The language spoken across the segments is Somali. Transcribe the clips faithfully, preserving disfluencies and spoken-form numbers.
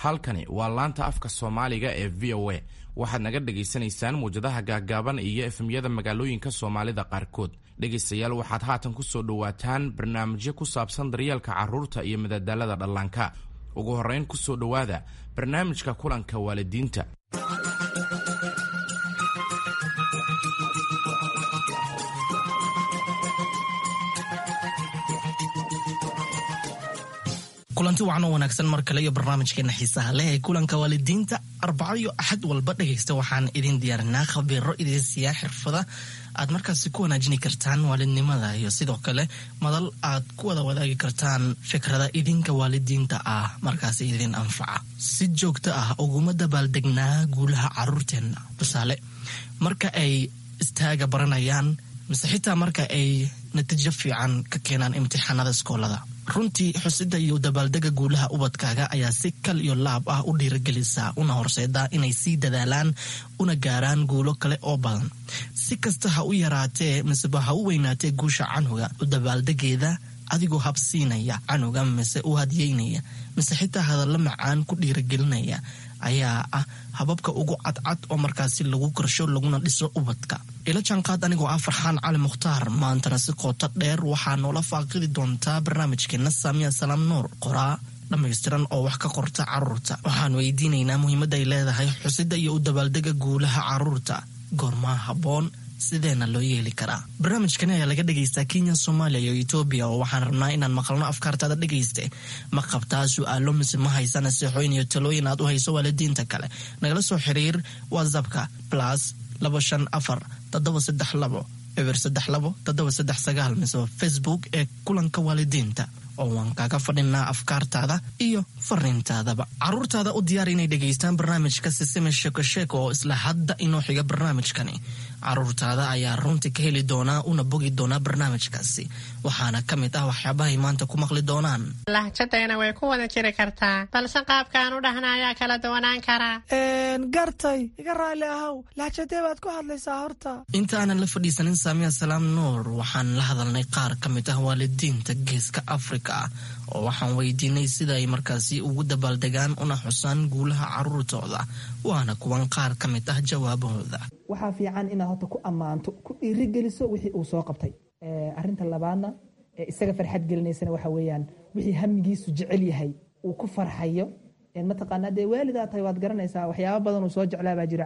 Halkani waa laanta afka Soomaaliga ee V O A. Waxaad naga dhagaysanaysaan muwjadaha gaaggaaban iyo F M-yada magaalooyinka Soomaalida qaarkood. Dhegaystayaal, waxaad haatan ku soo dhowaataan barnaamijyo ku saabsan daryeelka carruurta iyo madadaalada dhallaanka. Ugu horrayn, ku soo dhowaada barnaamijka kulanka waalidiinta. Kulanti wacan oo wanaagsan mar kale iyo barnaamijkeena xiisaha leh ee kulanka waalidiinta. Arbaco iyo Axad walba, dhegaysta, waxaan idin diyaarinaa khabiiro idin siiyaa xirfada aad markaasi ku wanaajini kartaan waalidnimada iyo sidoo kale madal aad ku wada wadaagi kartaan fikrada idinka waalidiinta ah markaasi idin anfaca. Si joogto ah uguma dabaaldegnaa guulaha caruurteenna? Tusaale, marka ay istaaga baranayaan mise xitaa marka ay natiijo fiican ka keenaan imtixaanada iskoolada. Runtii, xusida iyo dabaaldega guulaha ubadkaaga ayaa si kal iyo laab ah u dhiiragelisa una horseedaa inay sii dadaalaan una gaaraan guulo kale oo badan. Si kasta ha u yaraatee miseba ha u weynaatee guusha canuga, u dabaaldegeeda adigoo habsiinaya canuga mise u hadyeynaya mise xitaa hadallo macaan ku dhiiragelinaya ayaa ah hababka ugu cadcad oo markaasi lagu korsho laguna dhiso ubadka. Ila jaanqaad anigoo ah Farxaan Cali Mukhtaar. Maantana si qooto dheer waxaa noola faaqidi doontaa barnaamijkeena Saamiya Salaam Nuur, qoraa dhammaystiran oo wax ka qorta caruurta. Waxaan weydiinaynaa muhiimadda ay leedahay xusida iyo u dabaaldega guulaha caruurta, goormaa habboon, sideena loo yeeli karaa? Barnaamijkani ayaa laga dhegaystaa Kenya, Soomaaliya iyo Etoobiya, oo waxaan rabnaa inaan maqalno afkaartaada. Dhegayste, ma qabtaa su-aalo mise ma haysa naseexooyin iyo talooyin aad u hayso waalidiinta kale? Nagala soo xiriir WhatsAppka plus laba shan afar toddoba saddex labo eber saddex labo toddoba saddex sagaal mise Facebook ee kulanka waalidiinta, oo waan kaaga fadhinaa afkaartaada iyo fariintaadaba. Caruurtaada u diyaar inay dhegaystaan barnaamijka Sisime Sheeko Sheeko oo isla hadda inoo xiga. Barnaamijkani caruurtaada ayaa runtii ka heli doonaa una bogi doonaa barnaamijkaasi, waxaana ka mid ah waxyaabahay maanta ku maqli doonaan: Lahjadeena way ku wada jiri kartaa, balse qaabkaan u dhahna ayaa kala duwanaan karaa. Gartay, iga raalli ahow, lahjadee baad ku hadlaysaa horta? Inta aanan la fadhiisanin Saamiya Salaam Nuur, waxaan la hadalnay qaar ka mid ah waalidiinta Geeska Afrika, oo waxaan weydiinay sida ay markaasi ugu dabaaldegaan una xusaan guulaha caruurtooda. Waana kuwan qaar ka mid ah jawaabahooda. Waxaa fiican inaad horta ku ammaanto, ku dhiirigeliso wixii uu soo qabtay. Arinta labaadna ee isaga farxad gelinaysana waxa weeyaan wixii hamigiisu jecel yahay uu ku farxayo. Mataqaanaa, dee waalidaa tahay, waad garanaysaa waxyaaba badan uu soo jeclaa baa jira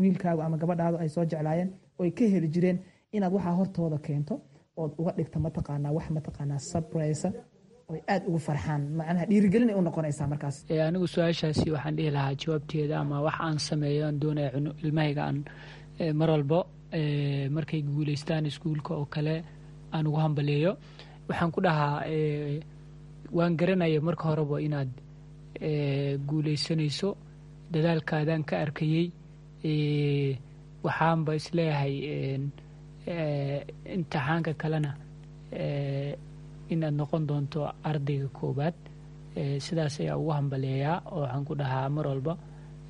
wiilkaagu ama gabadhaadu ay soo jeclaayeen oo ay ka heli jireen, inaad waxaa hortooda keento ood uga dhigto, mataqaanaa, wax, mataqaanaa, surprise oy aad ugu farxaan. Macnaha dhiirigelin ay u noqonaysaa markaas. Anigu su-aashaasi waxaan dhihi lahaa jawaabteeda ama wax aan sameeyo aan doonaya ilmahayga aan mar walbo markay guuleystaan iskuulka oo kale aan ugu hambaleeyo, waxaan ku dhahaa: waan garanaya marka horeba inaad guuleysanayso, dadaalkaadaan ka arkayey. Waxaanba isleeyahay imtixaanka kalena inaad noqon doonto ardayga koowaad. Sidaas ayaa ugu hambaleeyaa oo waxaan ku dhahaa mar walba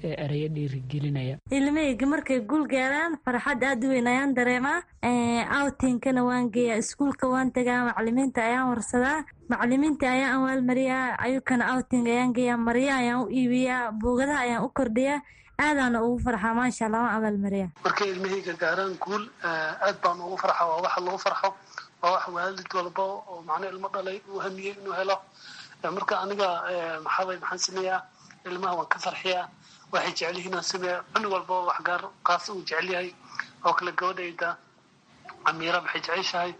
ereyo dhiirigelinaya. Ilmahayga markay guul gaaraan, farxad aad u weyn ayaan dareemaa. Outingkana waan geeyaa, iskuulka waan tagaa, macalimiinta ayaan warsadaa, macalimiinta ayaan awaalmariyaa, ayukana outing ayaan geeyaa, marya ayaan u iibiyaa, buugadaha ayaan u kordhiyaa, aadaana ugu farxaa. Maasha Allah, waan abaalmariyaa. Markay ilmahayga gaaraan guul, aad baan ugu farxa. Waa waxa lagu farxo, waa wax waalid walba oo macno ilmo dhalay uu hamiyey inuu helo. Marka aniga maxaabay maxaan sameeyaa? Ilmaha waan ka farxiyaa, waxay jecel yihiin aan sameeyaa. Cunug walba wax gaar qaas uu jecel yahay oo kale, gabadhayda Amiira waxay jeceshahay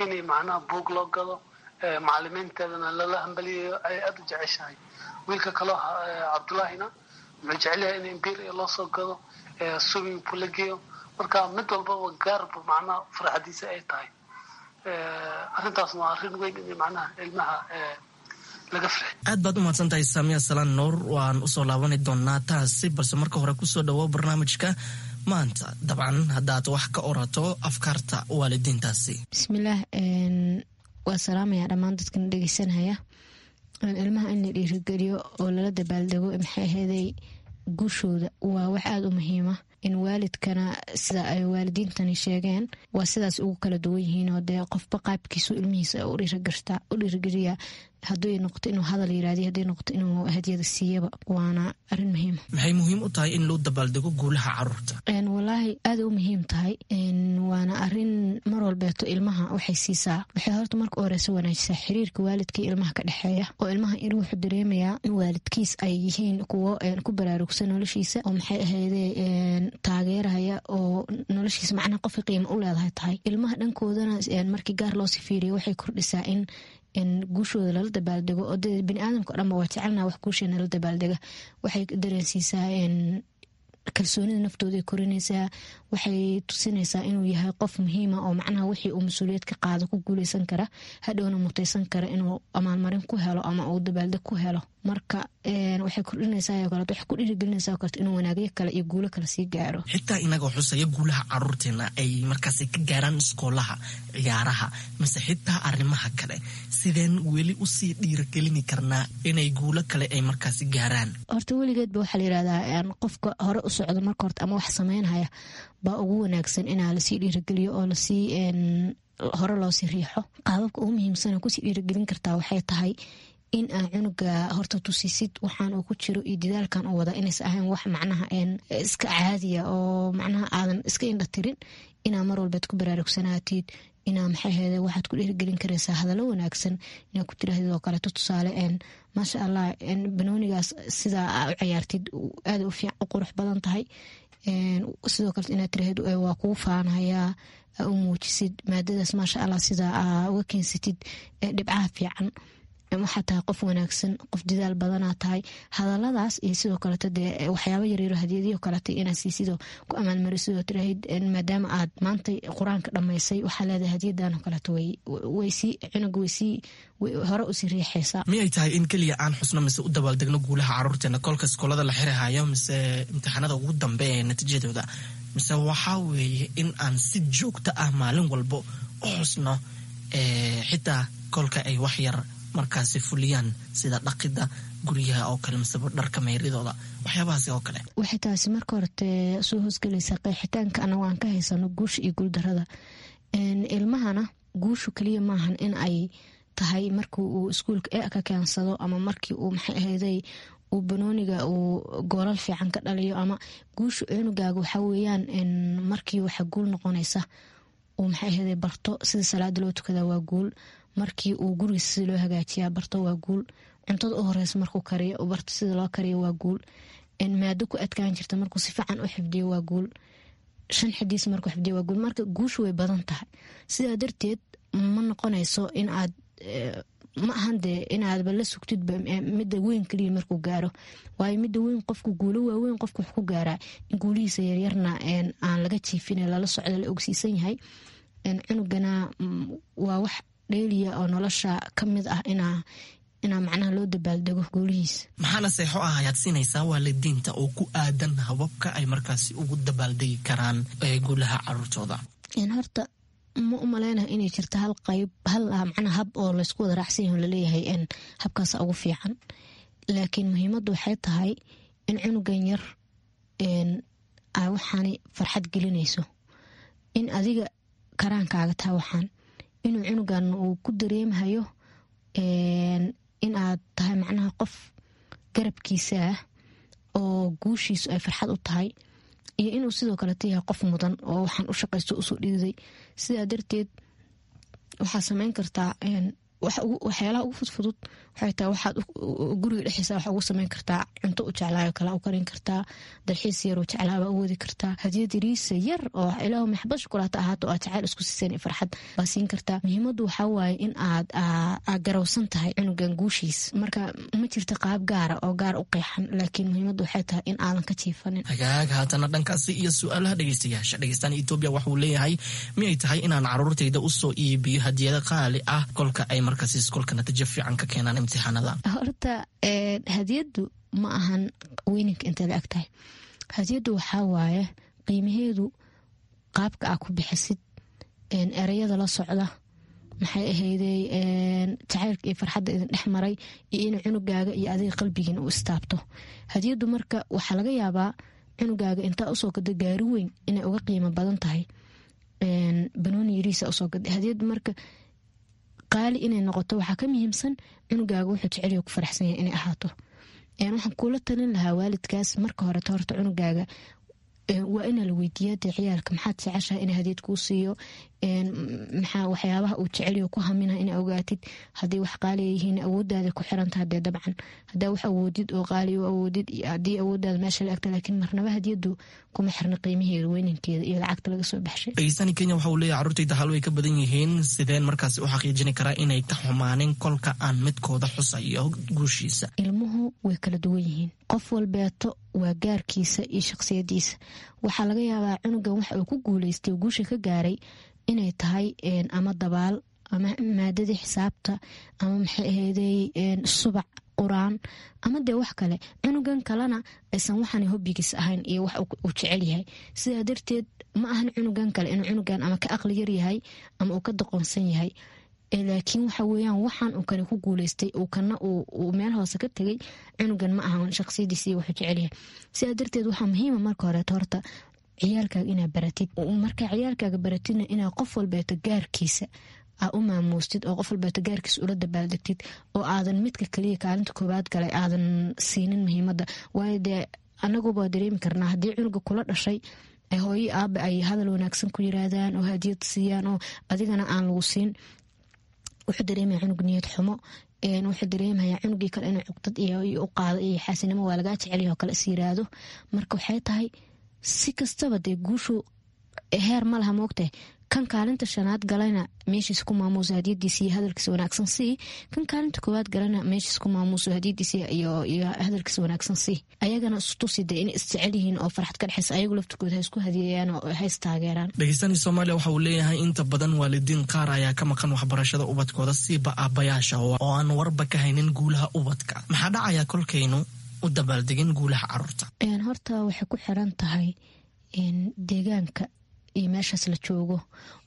inay macnaha buug loo gado, macalimiinteedana lala hambaliyayo ay aada u jeceshahay. Wiilka kaloo Cabdullaahina wuxuu jecel yahay in imbiria loo soo gado, swimming pool la geeyo. Marka mid walbaba gaarba macnaha farxadiisa ay tahay. Arrintaasna waa arrin weyn in macnaha ilmaha laga farxiyo. Aad baad u mahadsan tahay, Saamiya Salaan Nuur. Waan usoo laabani doonaa taasi, balse marka hore kusoo dhawo barnaamijka maanta, dabcan haddaad wax ka orato afkaarta waalidiintaasi. Bismillaah, waa salaamaya dhammaan dadkana dhegeysanaya. Ilmaha in la dhiirigeliyo oo lala dabaaldego, maxay aheeday, guushooda waa wax aada u muhiima. In waalidkana sida ay waalidiintani sheegeen waa sidaas ugu kala duwan yihiin, oo dee qofba qaabkiisu ilmihiisa u dhiirigeliya, haday noqoto inuu hadal yiraahdiy, haday noqoto inuu hadiyada siiyaba, waana arin muhiima. Maxay muhiim u tahay in loo dabaaldego guulaha caruurta? Walaahi aada u muhiim tahay, waana arin mar walbeeto ilmaha waxay siisaa, waxay horta marka u horeysa wanaajisaa xiriirka waalidka iyo ilmaha ka dhexeeya, oo ilmaha in wuxuu dareemayaa in waalidkiis ay yihiin kuwo ku baraarugsan noloshiisa, oo maxay ahayde taageeraya, oo noloshiisa macnaha qofka qiimo u leedahay tahay. Ilmaha dhankoodana markii gaar loosii fiiriyo waxay kordhisaa in guushooda lala dabaaldego, oo dee biniaadamka o dhanba waa jecelnaa wax guusheena la dabaaldega. Waxay dareensiisaa kalsoonida naftooda, korinaysaa, waxay tusinaysaa inuu yahay qof muhiima oo macnaha wixii uu mas-uuliyad ka qaado ku guuleysan kara, hadhowna mutaysan kara inuu amaalmarin ku helo ama uu dabaaldeg ku helo. Marka waxay kordhinaysaa kaleeto, waxay ku dhiirigelinaysaa oo kaleeto inuu wanaagyo kale iyo guulo kale sii gaaro. Xitaa inagoo xusaya guulaha caruurteena ay markaasi ka gaaraan iskoolaha, ciyaaraha mise xitaa arrimaha kale, sideen weli usii dhiirigelini karnaa inay guulo kale ay markaasi gaaraan? Horta weligeedba waxaa la yirahdaa qofka hore u socdo marka horta ama wax sameynhaya baa ugu wanaagsan inaa lasii dhiirigeliyo oo lasii hore loosii riixo. Qaababka ugu muhiimsan kusii dhiirigelin kartaa waxay tahay in aa cunuga horta tusisid waxaan uu ku jiro iyo dadaalkan uu wada inaysa ahayn wax macnaha iska caadiya oo macnaha aadan iska indha tirin, inaa mar walbeed ku baraarugsanaatid, inaa maxay ahayde waxaad ku dhiirigelin karaysaa hadallo wanaagsan inaa ku tiraahdid oo kaleeto, tusaale maasha Allah, banoonigaas sidaa aa u ciyaartid aada u qurux badan tahay. Sidoo kaleto inaad tirahdid waa kugu faanhayaa, aa u muujisid maadadaas maasha Allah sidaa aa uga keensatid dhibcaha fiican, waxaa tahay qof wanaagsan, qof dadaal badanaa tahay. Hadaladaas iyo sidoo kaleeto dee waxyaaba yaryaro hadiyadiyo kaleeto inaad siisidoo ku amaalmarisidoo tiraahid maadaama aad maanta qur-aanka dhammaysay waxaa leedahay hadiyadan oo kaleeto, waysii cunuga waysii hore usii riixaysaa. Miyay tahay in keliya aan xusno mise u dabaaldegno guulaha caruurteena kolka iskoolada la xirihayo mise imtixaanada ugu dambe ee natiijadooda, mise waxaa weeye in aan si joogto ah maalin walbo u xusno xitaa kolka ay wax yar markaasi fuliyaan, sida dhaqida guryaha oo kale miseba dharka meyridooda, waxyaabahaasi oo kale? Waxay taasi marka horete soo hoosgelaysaa qeexitaanka anago aan ka haysano guusha iyo guuldarada ilmahana. Guushu keliya maahan in ay tahay markii uu iskuulka e ka keensado ama markii uu maxay ahayday uu banooniga uu goolal fiican ka dhaliyo, ama guusha cunugaaga waxaa weeyaan markii waxa guul noqonaysa uu maxay ahayday barto sida salaada loo tukadaa waa guul, markii uu gurigiisa sida loo hagaajiyaa barto waa guul, cuntada u horeysa markuu kariyo barto sida loo kariyo waa guul, maado ku adkaan jirta markuu si fiican u xifdiyo waa guul, shan xadiis markuu xifdiyo waa guul. Marka guushu way badan tahay, sidaa darteed ma noqonayso in aad ma ahan dee inaadba la sugtidba midda weyn keliya markuu gaaro, waayo midda weyn qofku guulo waaweyn qofku wax ku gaaraa in guulihiisa yaryarna aan laga jiifin, lala socdo, la ogsiisan yahay. Cunugana waa wax dheeliya oo nolosha ka mid ah inaa inaa macnaha loo dabaaldego guulihiisa. Maxaana seexo ah ayaad siinaysaa waalidiinta oo ku aadan hababka ay markaasi ugu dabaaldegi karaan guulaha caruurtooda? Horta ma u maleynayo inay jirto hal qayb hal macnaa hab oo laysku wada raacsan yaho laleeyahay habkaasa ugu fiican, laakiin muhiimaddu waxay tahay in cunugan yar ay waxaani farxad gelinayso, in adiga karaankaaga tahay waxaan inuu cunugan uu ku dareemhayo in aad tahay macnaha qof garabkiisa ah oo guushiisu ay farxad u tahay, iyo inuu sidoo kaleto yahay qof mudan oo waxaan u shaqaysto usoo dhiiday. Sidaa darteed waxaa sameyn kartaa waxyaalaha ugu fudfudud, waxay tahay waxaad guriga dhexdiisa waxa ugu sameyn kartaa cunto u jeclaayo kale u karin kartaa, dalxiis yaroo jeclaaba u wadi kartaa, hadiyad yariisa yar oo ilaahu maxbad shukulaata ahaato aad jacayl isku siiseen iyo farxad baa siin kartaa. Muhiimaddu waxaa waaye in aad aad garowsan tahay cunugan guushiis. Marka ma jirto qaab gaara oo gaar u qeexan, laakiin muhiimaddu waxay tahay in aadan ka jiifanin. Hagaag, haatana dhankaasi iyo su-aalaha dhegeystayaasha. Dhegeystaan Etoobiya waxuu leeyahay, miyay tahay inaan caruurtayda usoo iibiyo hadiyado qaali ah kolka ay markaasi iskoolka natiijo fiican ka keenaan imtixaanada? Horta hadiyaddu ma ahan weyninka intay la eg tahay. Hadiyaddu waxaa waaye qiimaheedu qaabka aa ku bixisid, ereyada la socda, maxay ahaydey jacaylka iyo farxadda idin dhex maray, iyo inuu cunugaaga iyo adiga qalbigiina u istaabto hadiyaddu. Marka waxaa laga yaabaa Cunugaaga intaa usoo gado gaari weyn inay uga qiimo badan tahay banooni yariisa usoo gaday. Hadiyad marka qaali inay noqoto waxaa ka muhiimsan cunugaaga wuxuu jecelyaho ku faraxsan yahay inay ahaato. Waxaan kula talin lahaa waalidkaas marka horeto horta cunugaaga waa inaa la weydiiyaa dee ciyaalka maxaad jeceshahay ina hadiyad kuu siiyo, maxaa waxyaabaha uu jecelyaho ku hamina ina ogaatid. Haddii wax qaaliya yihiin awoodaada ku xirantaha dee dabcan haddaa wax awoodid oo qaali u awoodid iyo haddii awoodaada meesha la agta, laakiin marnaba hadiyadu kuma xirna qiimaheeda, weynankeeda iyo lacagta laga soo baxshay. Dhegeystani Kenya waxa uu leeyahay carruurtayda hal way ka badan yihiin, sideen markaasi u xaqiijini karaa inay ka xumaanin kolka aan midkooda xusayo guushiisa? Ilmuhu way kala duwan yihiin, qof walbeeto waa gaarkiisa iyo shaqsiyadiisa. Waxaa laga yaabaa cunugan waxa uu ku guuleystay guusha ka gaaray inay tahay ama dabaal ama maadadii xisaabta ama maxay aheydey subac qur-aan ama dee wax kale. Cunugan kalena aysan waxaan hobbigiis ahayn iyo wax uu jecel yahay. Sidaa darteed ma ahan cunugan kale inuu cunugan ama ka aqli yar yahay ama uu ka doqonsan yahay, laakiin waxa weeyaan waxaan uu kale ku guuleystay uu kana uu meel hoose ka tegay cunugan ma ahan shaqsiyadiisa iyo wuxuu jecel yahay. Sidaa darteed waxaa muhiima marka horeeto horta ciyaalkaaga inaa baratid. Markaa ciyaalkaaga baratidna inaa qof walbeeto gaarkiisa aa u maamuustid oo qof walbeeto gaarkiisa ula dabaaldegtid oo aadan midka kaliya kaalinta koowaad galay aadan siinin muhiimada. Waayo dee anaguba dareemi karnaa haddii cunuga kula dhashay hooyo aaba ay hadal wanaagsan ku yiraahdaan oo hadiyad siiyaan oo adigana aan lagu siin, wuxuu dareemaya cunug niyad xumo, wuxuu dareemaya cunugii kale inuu cuqdad iyo u qaado iyo xaasinimo waa lagaa jecelyaho oo kale is yiraahdo. Marka waxay tahay si kastaba dee guushu heer ma laha moogtahay. Kan kaalinta shanaad galayna meeshiis ku maamuuso hadiyadiisa iyo hadalkiisa wanaagsan sii, kan kaalinta koowaad galana meeshiis ku maamuuso hadiyadiisa iyo hadalkiisa wanaagsan sii. Ayagana istusi dee inay isjecel yihiin oo farxad ka dhexaysa, ayagu laftirkooda ha isku hadiyeeyaan oo ha is taageeraan. Dhegeystani Soomaaliya waxa uu leeyahay inta badan waalidiin qaar ayaa ka maqan waxbarashada ubadkooda, siiba aabbayaasha oo aan warba ka haynin guulaha ubadka. Maxaa dhacaya kolkaynu u dabaaldegin guulaha caruurta? Horta waxay ku xiran tahay deegaanka iyo meeshaas la joogo.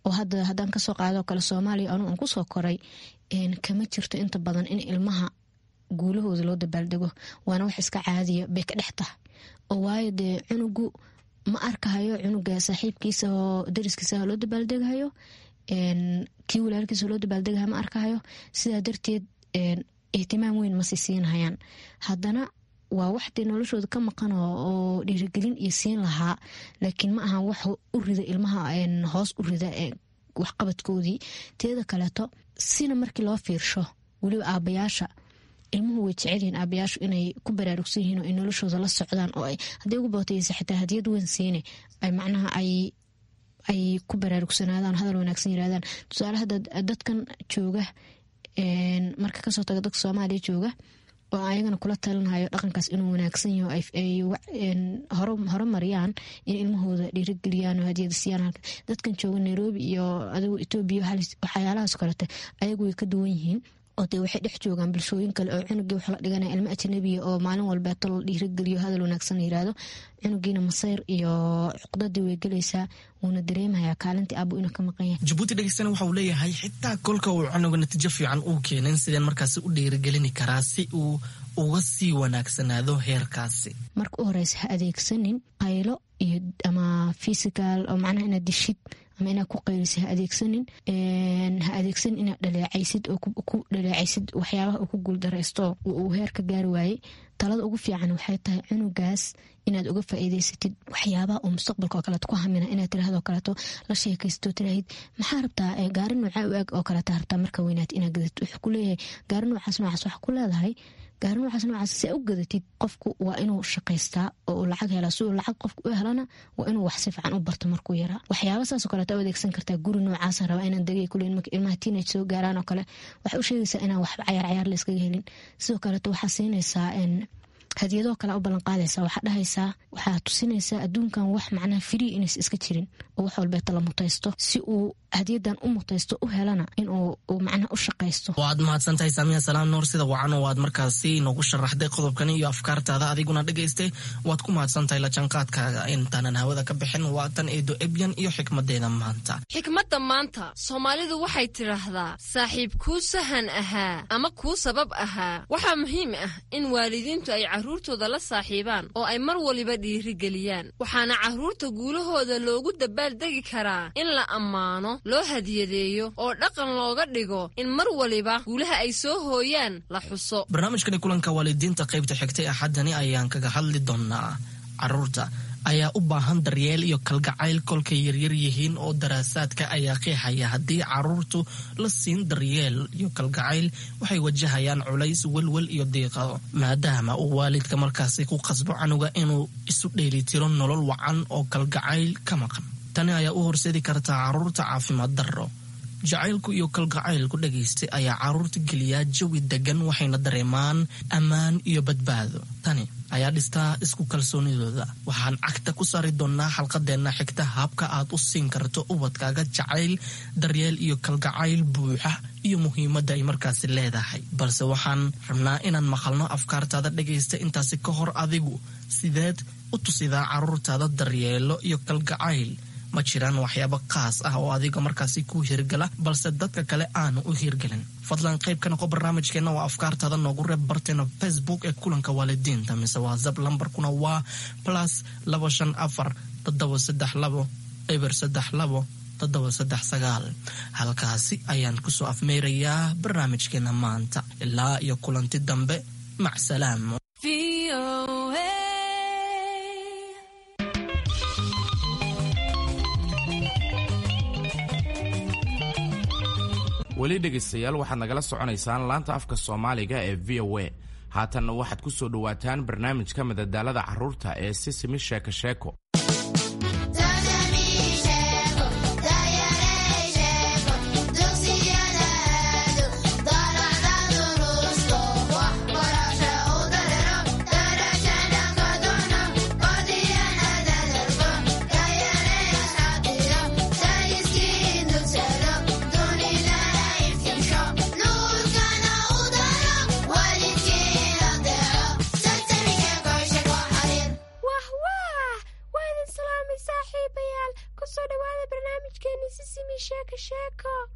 Oo hadda haddaan kasoo qaadoo kale Soomaaliya anuu aan kusoo koray, kama jirto inta badan in ilmaha guulahooda loo dabaaldego, waana wax iska caadiya bay ka dhex tahay. Oo waayo dee cunugu ma arkahayo cunuga saaxiibkiisa oo dariskiisa loo dabaaldegahayo, kii walaalkiisa loo dabaaldegahayo ma arkahayo. Sidaa darteed ihtimaam weyn ma sii siinhayaan. Haddana waa wax dee noloshooda ka maqan oo dhiirigelin iyo siin lahaa, laakiin ma ahan wax u rida ilmaha hoos u rida waxqabadkoodii. Teeda kaleeto sina markii loo fiirsho weliba aabayaasha ilmuhu way jecelyihiin aabayaashu inay ku baraarugsan yihiin oo ay noloshooda la socdaan oo hadday ugu bootaysa xitaa hadiyad weyn siine ay macnaha ay ay ku baraarugsanaadaan, hadal wanaagsan yirahdaan. Tusaale hadda dadkan jooga marka kasoo taga dadka Soomaaliya jooga oo ayagana kula talinhayo dhaqankaas inuu wanaagsan yaho ay horumariyaan in ilmahooda dhiirigeliyaan oo hadiyada siiyaan. Dadkan jooga Nairobi iyo adigu Itoobiya waxyaalahaas kalete ayagu way ka duwan yihiin oo dee waxay dhex joogaan bulshooyin kale oo cunugii waxa la dhiganaya ilmo ajnabiya oo maalin walbeeto la dhiirigeliyo hadal wanaagsan la yiraahdo. Cunugiina masayr iyo cuqdadii way gelaysaa, wuuna dareemayaa kaalintii aabbu inuu ka maqan yahay. Jabuuti dhegeystana waxa uu leeyahay xitaa kolka uu cunuga natiijo fiican uu keenin, sideen markaasi u dhiirigelini karaa si uu uga sii wanaagsanaado heerkaasi? Marka u horeysa ha adeegsanin qaylo iyo ama physical oo macnaha inaad dishid ama inaad ku qaylisid ha adeegsanin. Ha adeegsanin inaad dhaleecaysid oo ku dhaleecaysid waxyaabaha uu ku guuldareysto uu heer ka gaari waayey. Talada ugu fiican waxay tahay cunugaas inaad uga faa'iidaysatid waxyaabaha uu mustaqbalka oo kaleeto ku hamina, inaad tiraahdo kaleeto la sheekaysto, tiraahid maxaa rabtaa gaari noocaa u eg oo kaleeto rabtaa marka weynaat inaad gadatid. Wuxuu ku leeyahay gaari noocaas noocaas, waxa ku leedahay gaari noocaas noocaas si u gadatid qofku waa inuu shaqaystaa oo uu lacag helaa. Si uu lacag qofku u helana waa inuu wax si fiican u barto markuu yaraa. Waxyaaba saas oo kaleeto u adeegsan kartaa. Guri noocaasa rabaa inaan degay kuleyn marka ilmaha teenage soo gaaraan oo kale waxay u sheegaysaa inaan waxba cayaar cayaar la iskaga helin. Sidoo kaleeto waxaa siinaysaa hadiyadoo kale u ballanqaadaysaa, waxaa dhahaysaa, waxaa tusinaysaa adduunkan wax macnaha free inaysa iska jirin oo wax walbeeta la mutaysto. Si uu hadiyadan u mutaysto u helana inuu macnaha u shaqaysto. Waad mahadsantahay Saamiya Salaam Nuur, sida wacan oo aad markaasi noogu sharaxday qodobkan iyo afkaartaada. Adiguna dhegaystay waad ku mahadsantahay la jaanqaadkaaga. Intaanan hawada ka bixin waa tan Eedo Ebyan iyo xikmadeeda maanta. Xikmadda maanta Soomaalidu waxay tidhaahdaa saaxiib kuu sahan ahaa ama kuu sabab ahaa. Waxaa muhiim ah in waalidiintu ay carruurtooda la saaxiibaan oo ay mar waliba dhiirigeliyaan. Waxaana carruurta guulahooda loogu dabaaldegi karaa in la ammaano, loo hadiyadeeyo oo dhaqan looga dhigo in mar waliba guulaha ay soo hooyaan la xuso. Barnaamijkani kulanka waalidiinta qaybta xigtay axaddani ayaan kaga hadli doonaa carruurta ayaa u baahan daryeel iyo kalgacayl kolkay yaryar yihiin, oo daraasaadka ayaa qeexaya haddii carruurtu la siin daryeel iyo kalgacayl waxay wajahayaan culays, welwel iyo diiqado, maadaama uu waalidka markaasi ku qasbo canuga inuu isu dheelitiro nolol wacan oo kalgacayl ka maqan. Tani ayaa u horseedi kartaa carruurta caafimaad darro. Jacaylku iyo kalgacaylku dhagaystay ayaa carruurta geliyaa jawi degan, waxayna dareemaan ammaan iyo badbaado. Tani ayaa dhistaa isku kalsoonidooda. Waxaan cagta ku saari doonaa xalqadeenna xigta habka aad u siin karto ubadkaaga jacayl, daryeel iyo kalgacayl buuxa iyo muhiimadda ay markaasi leedahay. Balse waxaan rabnaa inaan maqalno afkaartaada dhagaysta. Intaasi ka hor, adigu sideed u tusidaa carruurtaada daryeelo iyo kalgacayl? Ma jiraan waxyaabo qaas ah oo adiga markaasi ku hirgala balse dadka kale aanu u hirgelin? Fadlan qayb ka noqo barnaamijkeenna oo afkaartaada noogu reeb barteena Facebook ee kulanka waalidiinta mise WhatsApp, lambarkuna waa plus labo shan afar toddoba saddex labo eber saddex labo toddoba saddex sagaal. Halkaasi ayaan kusoo afmeerayaa barnaamijkeena maanta. Ilaa iyo kulanti dambe, macsalaam. Weli dhegaystayaal, waxaad nagala soconaysaan laanta afka Soomaaliga ee V O A. Haatanna waxaad ku soo dhowaataan barnaamijka madadaalada carruurta ee Sisimi Sheeko Sheeko.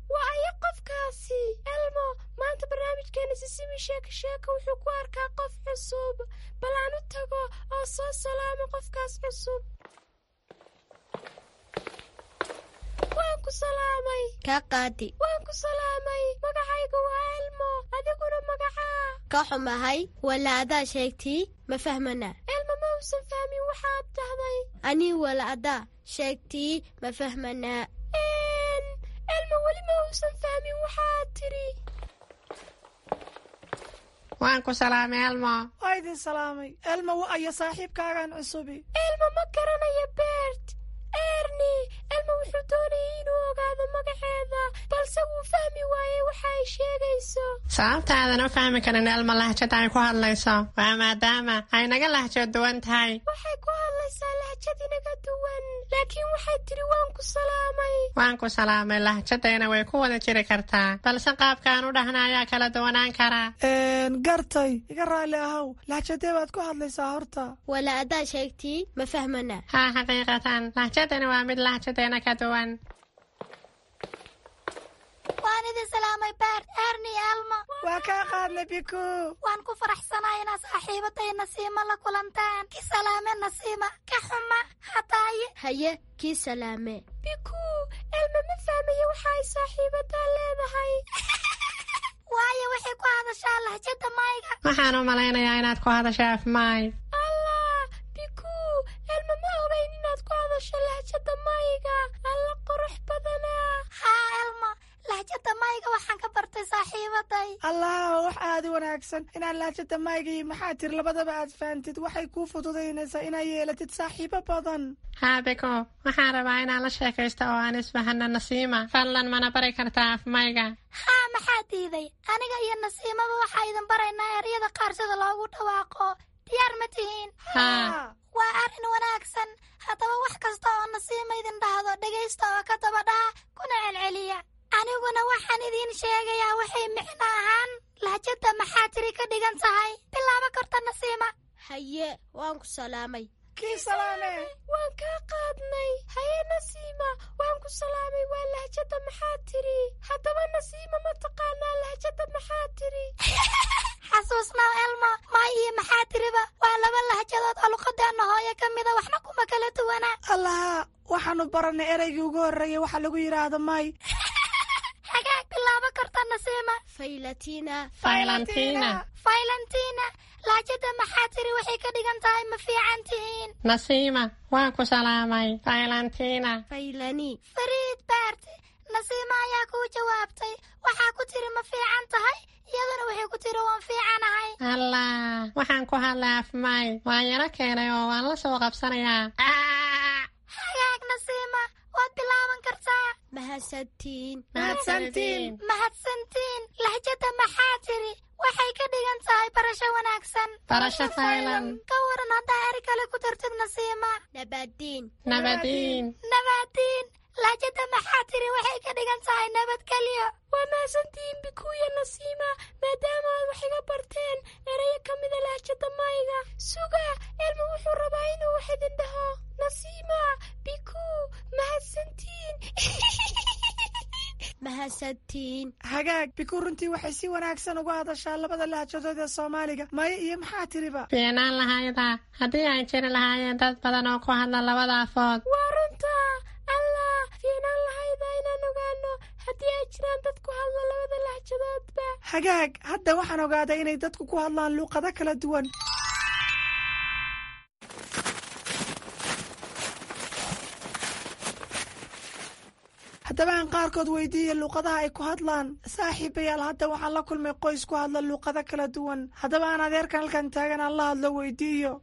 Waa aya qofkaasi Elmo? Maanta barnaamijkeena Sisimi Sheeko Sheeko wuxuu ku arkaa qof cusub. Bal aan u tago oo soo salaamo qofkaas cusub. Waan ku salaamay. Kaa qaadi. Waan ku salaamay. Magacayga waa Elmo, adiguna magacaa? Ka xumahay, wala adaa sheegtii ma fahmana. Elmo ma uusan fahmin waxaad dhahday. Anii wala adaa sheegtii ma fahmanaa. Elmo weli ma uusan fahmin waxaad tidhi. Waan ku salaamay, Elmo. Waa idin salaamay. Elmo, wa aya saaxiibkaagan cusubi? Elmo ma garanayo Bert. Erni, Elmo wuxuu doonayay inuu ogaado magaceeda, balse wuu fahmi waayey waxa ay sheegayso. Sababta aadan u fahmi karin Elmo lahjada ay ku hadlayso waa maadaama ay naga lahjo duwan tahay. Waxay ku hadlaysaa lahjad inaga duwan, laakiin waxay tidhi waan ku salaamay. Waan ku salaamay lahjadayna way ku wada jiri kartaa, balse qaabka aan u dhahna ayaa kala duwanaan karaa. Gartay, iga raalli ahow, lahjadee baad ku hadlaysaa horta? Wala adaa sheegtii ma fahmana. Haa, xaqiiqatan lahjadani waa mid lahjadeena ka duwan. Waan idin salaamay Bert, Erni, Elmo. Waa kaa qaadnay, Biku. Waan ku faraxsanahay inaad saaxiibatay Nasiima la kulantaan. Ki salaame Nasiima, ka xuma hataaye. Haye, kii salaame. Biku, Elmo ma fahmayo waxa ay saaxiibadaa leedahay. Waayo waxay ku hadashaa lahjada mayga. Waxaan u malaynayaa inaad ku hadasha af maay. Allah, Biku, Elmo ma ogeyn inaad ku hadasho lahjada mayga. Alla qurux badanaa. Haa Elmo, lahjada mayga waxaan ka bartay saaxiibaday. Allah, wax aad u wanaagsan inaad lahjada mayga iyo maxaa tiri labadaba aad fahantid. Waxay kuu fududaynaysaa inaad yeelatid saaxiibo badan. Haa Biko, waxaan rabaa inaan la sheekaysto oo aan isfahano Nasiima. Fadlan mana bari kartaa af mayga? Haa, maxaa diiday? Aniga iyo Nasiimaba waxaa idin baraynaa eryada qaar sida loogu dhawaaqo. Diyaar ma tihiin? Haa. Waa arrin wanaagsan. Haddaba wax kasta oo Nasiima idin dhahdo dhegaysta oo ka daba dhaha kuna celceliya. Aniguna waxaan idiin sheegayaa waxay micno ahaan lahjada maxaa tiri ka dhigan tahay. Bilaabo karta Nasiima. Haye, waan ku salaamay. Kii salaame. Waan kaa qaadnay. Haye Nasiima, waan ku salaamay waa lahjada maxaa tiri. Haddaba Nasiima ma taqaanaa lahjada maxaa tiri? Xasuusnaw Elmo, may iyo maxaa tiriba waa laba lahjadood oo luqadeenna hooyo ka mida, waxna kuma kala duwana. Allaha, waxaanu baranay ereygii ugu horreeyay waxa lagu yidhaahdo may. Hagaag, bilaabo karta Nasiima. Faylatina. Faylantina. Faylantina, lahjada maxaa tiri waxay ka dhigan tahay ma fiican tihiin. Nasiima, waan ku salaamay. Faylantina. Faylani. Fariid Baarti, Nasiima ayaa kuu jawaabtay. Waxaa ku tiri ma fiican tahay, iyaduna waxay ku tiri waan fiicanahay. Allah, waxaan ku hadlay afmay, waan yaro keenay oo waan la soo qabsanayaa. Hagaag Nasiima, waad bilaaban kartaa. Mahadsantiin. Mahadsantiin. Mahadsantiin, lahjada maxaa tiri waxay ka dhigan tahay barasho wanaagsan. Barasho faylan. Ka waran haddaa eri kale ku dartid Nasiima? Nabadiin. Nabadiin. Nabadiin, lahjada maxaa tiri waxay ka dhigan tahay nabadgelyo. Waa mahadsantihiin Bikuya, Nasiima, maadaama aad wax iga barteen erayo ka mida lahjada mayga. Suga, Elmo wuxuu rabaa inuu wax idin dhaho. Nasiima, Biku, mahadsantiin. Mahadsantiin. Hagaag Biku, runtii waxay si wanaagsan uga hadashaa labada lahjadood ee Soomaaliga, maya iyo maxaa tiriba. Fiicnaan lahayda haddii ay jiri lahaayeen dad badan oo ku hadla labada afood. Waa runta. Allah, fiicnaan lahayda inaan ogaano haddii ay jiraan dad ku hadla labada lahjadoodba. Hagaag, hadda waxaan ogaaday inay dadku ku hadlaan luuqado kala duwan. Haddaba aan qaarkood weydiiya luuqadaha ay ku hadlaan. Saaxiibayaal, hadda waxaan la kulmay qoys ku hadla luuqado kala duwan. Haddaba aan adeerkan halkan taagan aan la hadlo weydiiyo.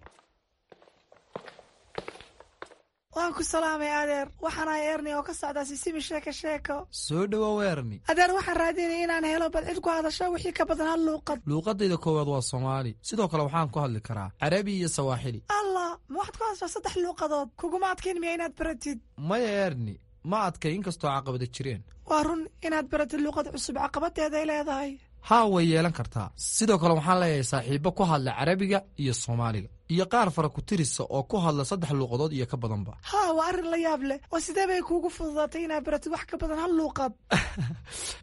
Waan ku salaamay adeer, waxaan ahay Erni oo ka socdaa Sisimi Sheeko Sheeko. Soo dhowow Erni. Adeer, waxaan raadinaya inaan helo bal cid ku hadasho wixii ka badan hal luuqad. Luuqadayda koowaad waa Soomaali, sidoo kale waxaan ku hadli karaa Carabi iyo Sawaaxili. Allah, ma waxaad ku hadashaa saddex luuqadood? Kuguma adkayn miya inaad baratid? Maya Erni, ma adkay, inkastoo caqabada jireen. Waa run, inaad baratid luuqad cusub caqabadeeday leedahay. Haa, way yeelan kartaa. Sidoo kale waxaan leeyahay saaxiibbo ku hadla Carabiga iyo Soomaaliga iyo qaar fara ku tirisa oo ku hadla saddex luuqadood iyo ka badanba. Haa, waa arrin la yaab leh. Oo sidee bay kuugu fududaatay inaad baratid wax ka badan hal luuqad?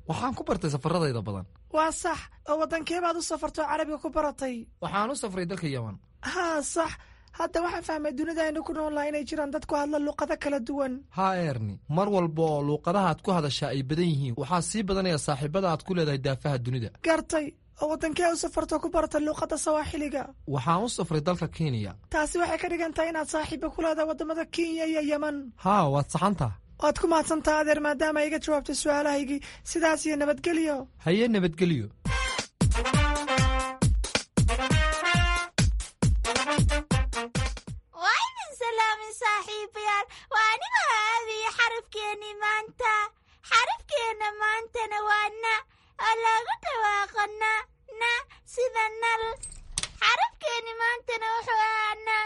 Waxaan ku bartay safaradayda badan. Waa sax. Oo waddankee baad u safartoo Carabiga ku baratay? Waxaan u safray dalka Yeman. Haa, sax. Hadda waxaan fahmay dunida aynu ku noolnahay inay jiraan dad ku hadla luuqado kala duwan. Haa Erni, mar walba oo luuqadaha aad ku hadashaa ay badan yihiin, waxaa sii badanaya saaxiibada aad ku leedahay daafaha dunida. Gartay. Oo waddankee u safartoo ku barata luuqadda Sawaaxiliga? Waxaan u safray dalka Kenya. Taasi waxay ka dhigan tahay inaad saaxiiba ku leedahay waddamada Kenya iyo Yeman. Haa, waad saxantaha. Waad ku mahadsantaha adeer, maadaama iga jawaabtay su-aalahaygii. Sidaas iyo nabadgelyo. Haye, nabadgelyo. Waa idin salaamin saaxiibayaal, waa anigoo aadaya xarafkeennii maanta. Xarafkeenna maantana waa na, oo loogu dhawaaqo na na sida nal. Xarafkeenni maantana wuxuu ahaa na.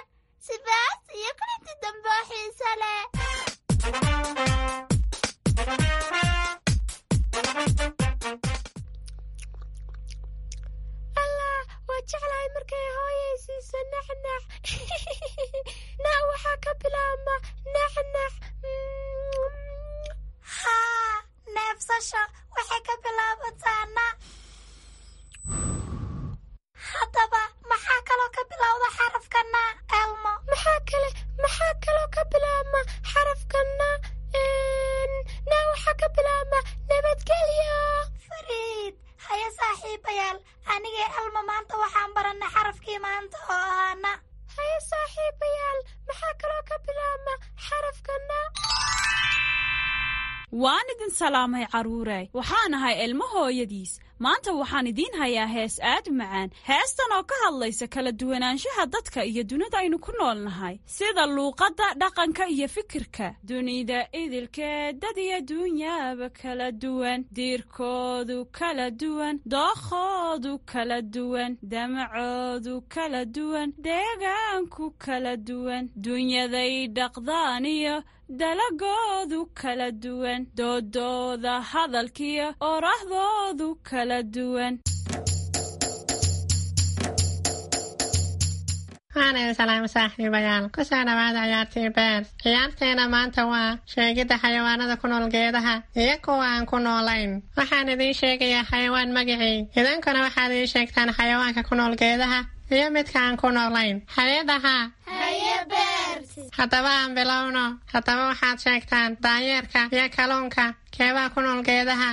Sidaas iyo kulanti dambe oo xiiso leh. Allah, waa jeclahay markay hooyay siiso naxnax. Na waxaa ka bilaabma naxnax. Haa, neefsasho waxay ka bilaabataa na. Haddaba maxaa kaloo ka bilowda xarafka na, Elmo? Maxaa kale maxaa kaloo ka bilaabma xarafka na? Na waxaa ka bilaabma nabadgelyo. Fariid, haye saaxiibayaal, anigee Elmo maanta waxaan barannay xarafkii maanta oo ahaa na. Haye saaxiibayaal, maxaa kaloo ka bilaabma xarafka na? Waan idin salaamay carruure, waxaan ahay Ilmo hooyadiis. Maanta waxaan idiin hayaa hees aad u macaan, heestan oo ka hadlaysa kala duwanaanshaha dadka iyo dunida aynu ku nool nahay, sida luuqadda, dhaqanka iyo fikirka. Dunida idilkeed dad iyo duunyaaba kala duwan, diirkoodu kala duwan, dookhoodu kala duwan, damacoodu kala duwan, deegaanku kala duwan, dunyaday dhaqdaan iyo dalagoodu kala duwan, doodooda hadalkiyo orahdoodu kala duwan. Waan idin salaamo saaxiibayaal. Ku soo dhawaada ciyaartii Beer. Ciyaarteena maanta waa sheegidda xayawaanada ku nool geedaha iyo kuwa aan ku noolayn. Waxaan idiin sheegayaa xayawaan magacii, idinkuna waxaad ii sheegtaan xayawaanka ku nool geedaha iyo midka aan ku noolayn. Hay-adaha. Haddaba aan bilowno. Haddaba waxaad sheegtaan daanyeerka iyo kalluunka, keebaa ku nool geedaha?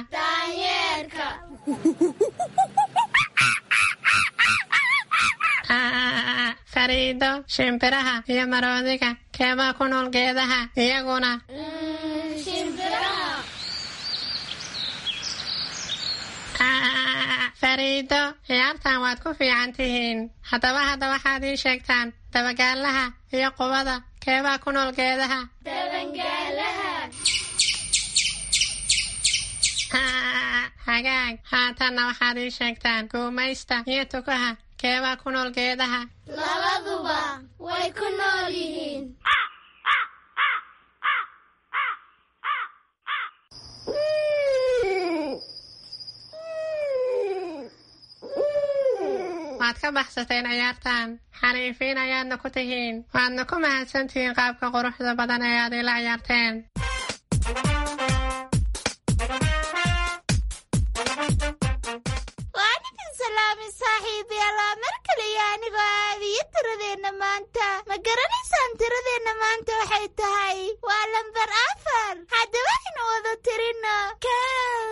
Fariido, shimbiraha iyo maroodiga, keebaa ku nool geedaha iyaguna? Fariido, ciyaartan waad ku fiican tihiin. Haddaba hadda waxaad ii sheegtaan dabagaalaha iyo qubada, keebaa ku nool geedaha? Hagaag. Haatanna waxaad ii sheegtaan guumaysta iyo tukaha, keebaa ku nool geedaha? Labaduba way ku nool yihiin. Waad ka baxsateen ciyaartan, xariifiin ayaadna ku tihiin. Waadna ku mahadsantihiin qaabka quruxda badan ee aad ila ciyaarteen. Waan idin salaamay saaxiibayaal, waa mar kaliya anigoo aabiyo tiradeenna maanta. Ma garanaysaan tiradeenna maanta waxay tahay? Waa lambar afar. Haddaba aynu wada tirino: kow,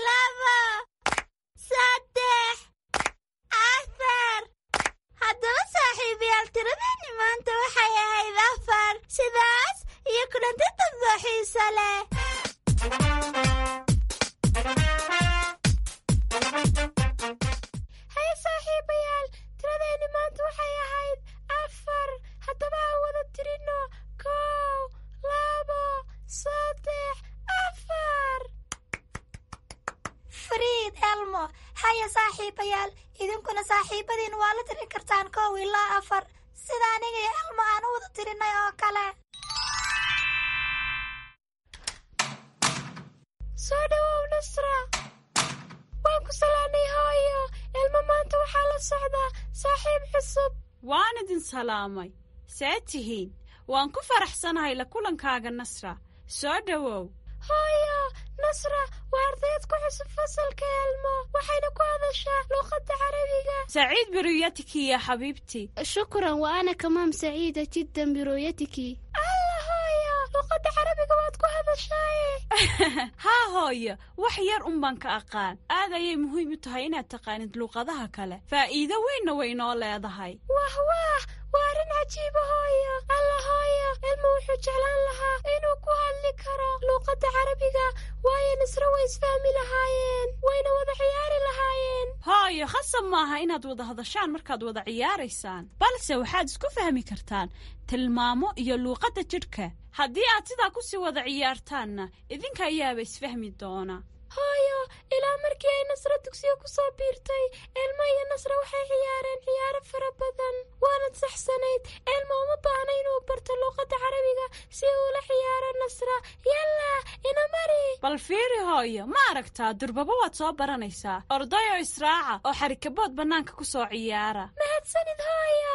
laba, saddex, afar. Haddaba saaxiibayaal, tiradeenni maanta waxay ahayd afar. Sidaas iyo kulanti dambe xiiso leh. Haye saaxiibayaal, tiradeenni maanta waxay ahayd afar. Haddaba aan wada tirino: kow, labo, saddex, afar. Fariid, Elmo, haya saaxiibayaal, idinkuna saaxiibadiin waa la tirin kartaan kow ilaa afar, sida aniga iyo Elmo aan u wada tirinay oo kale. Soo dhawow Nasra. Waan ku salaanay hooyo. Elmo maanta waxaa la socdaa saaxiib cusub. Waan idin salaamay. See tihiin? Waan ku faraxsanahay la kulankaaga Nasra. Soo dhowow. Hooyo, Nasra waa ardayd ku cusub fasalka Elmo, waxayna ku hadashaa luqadda Carabiga. سعيد برؤيتك يا حبيبتي. شكرا، وأنا كمان سعيدة جدا برؤيتك. Alla hooyo, luqadda Carabiga waad ku hadashaaye. Haa hooyo, wax yar un baan ka aqaan. Aad ayay muhiim u tahay inaad taqaanid luuqadaha kale, faa'iido weynna way inoo leedahay. Wah wah, waa arrin cajiiba hooyo. Alla hooyo, Elmo wuxuu jeclaan lahaa inuu ku hadli karo luuqadda Carabiga, waayo Nasro way isfahmi lahaayeen, wayna wada ciyaari lahaayeen. Hooyo, khasab maaha inaad wada hadashaan markaad wada ciyaaraysaan, balse waxaad isku fahmi kartaan tilmaamo iyo luuqadda jidhka. Haddii aad sidaa ku sii wada ciyaartaanna, idinka ayaaba isfahmi doona. Hooyo, ilaa markii ay Nasra dugsiga ku soo biirtay, Elmo iyo Nasra waxay ciyaareen ciyaaro fara badan. Waanad saxsanayd, Elmo uma baahna inuu barto luuqadda Carabiga si uu ula ciyaaro Nasra. Yalla, ina mari. Bal fiiri hooyo, ma aragtaa, durbaba waad soo baranaysaa. Ordayoo israaca oo xarikabood bannaanka ku soo ciyaara. Mahadsanid hooyo.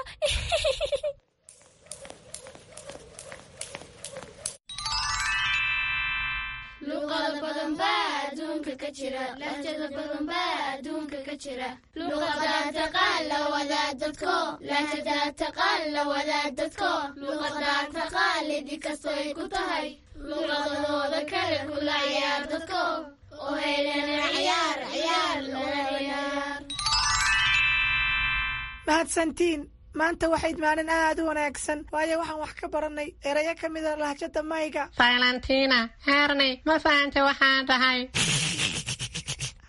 Luqado badan baa adduunka ka jira, lahjado badan baa adduunka ka jira. Luqadaa taqaan la wadaa dadko, lahjadaa taqaan la wadaa dadko. Luqadaa taqaan idi kastoy ku tahay, luqadahooda kale kula ciyaar dadko. Oo helana ciyaar, ciyaar, lana ciyaar. Mahadsantiin. Maanta waxayd maalin aad u wanaagsan, waayo waxaan wax ka barannay erayo ka mida lahjada mayga. Valentina, Erni, ma fahantay waxaan dhahay?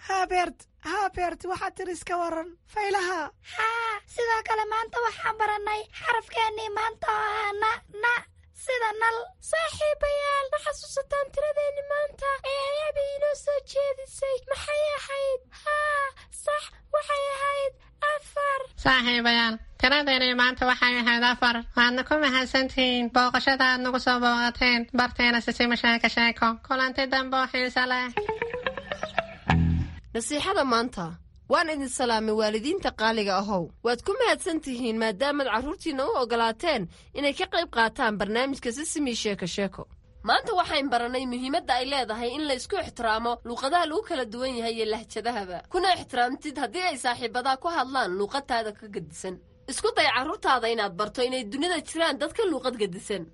Haa Bert, haa Bert, waxaad tiri iska waran faylaha. Haa, sidoo kale maanta waxaan barannay xarafkeennii maanta oo ahaa na, na, sida nal. Saaxiibayaal, ma xasuusataan tiradeenni maanta ee ayaaba inoo soo jeedisay? Maxay ahayd? Haa, sax, waxay ahayd afar. Saaxiibayaal, tiradeennii maanta waxay ahayd afar. Waadna ku mahadsantihiin booqashada aad nagu soo booqateen barteena Sisima Sheeko Sheeko. Kulanti dambe oo xiiso leh. Nasiixada maanta. Waan idin salaamay waalidiinta qaaliga ahow. Waad ku mahadsan tihiin maadaamaad carruurtiinna u oggolaateen inay ka qayb qaataan barnaamijka Sisimi Sheeko Sheeko. Maanta waxayn baranay muhiimadda ay leedahay in la isku ixtiraamo luuqadaha lagu kala duwan yahay iyo lahjadahaba, kuna ixtiraamtid haddii ay saaxiibadaa ku hadlaan luuqadtaada ka gedisan. Isku day carruurtaada inaad barto inay dunida jiraan dad ka luuqad gedisan.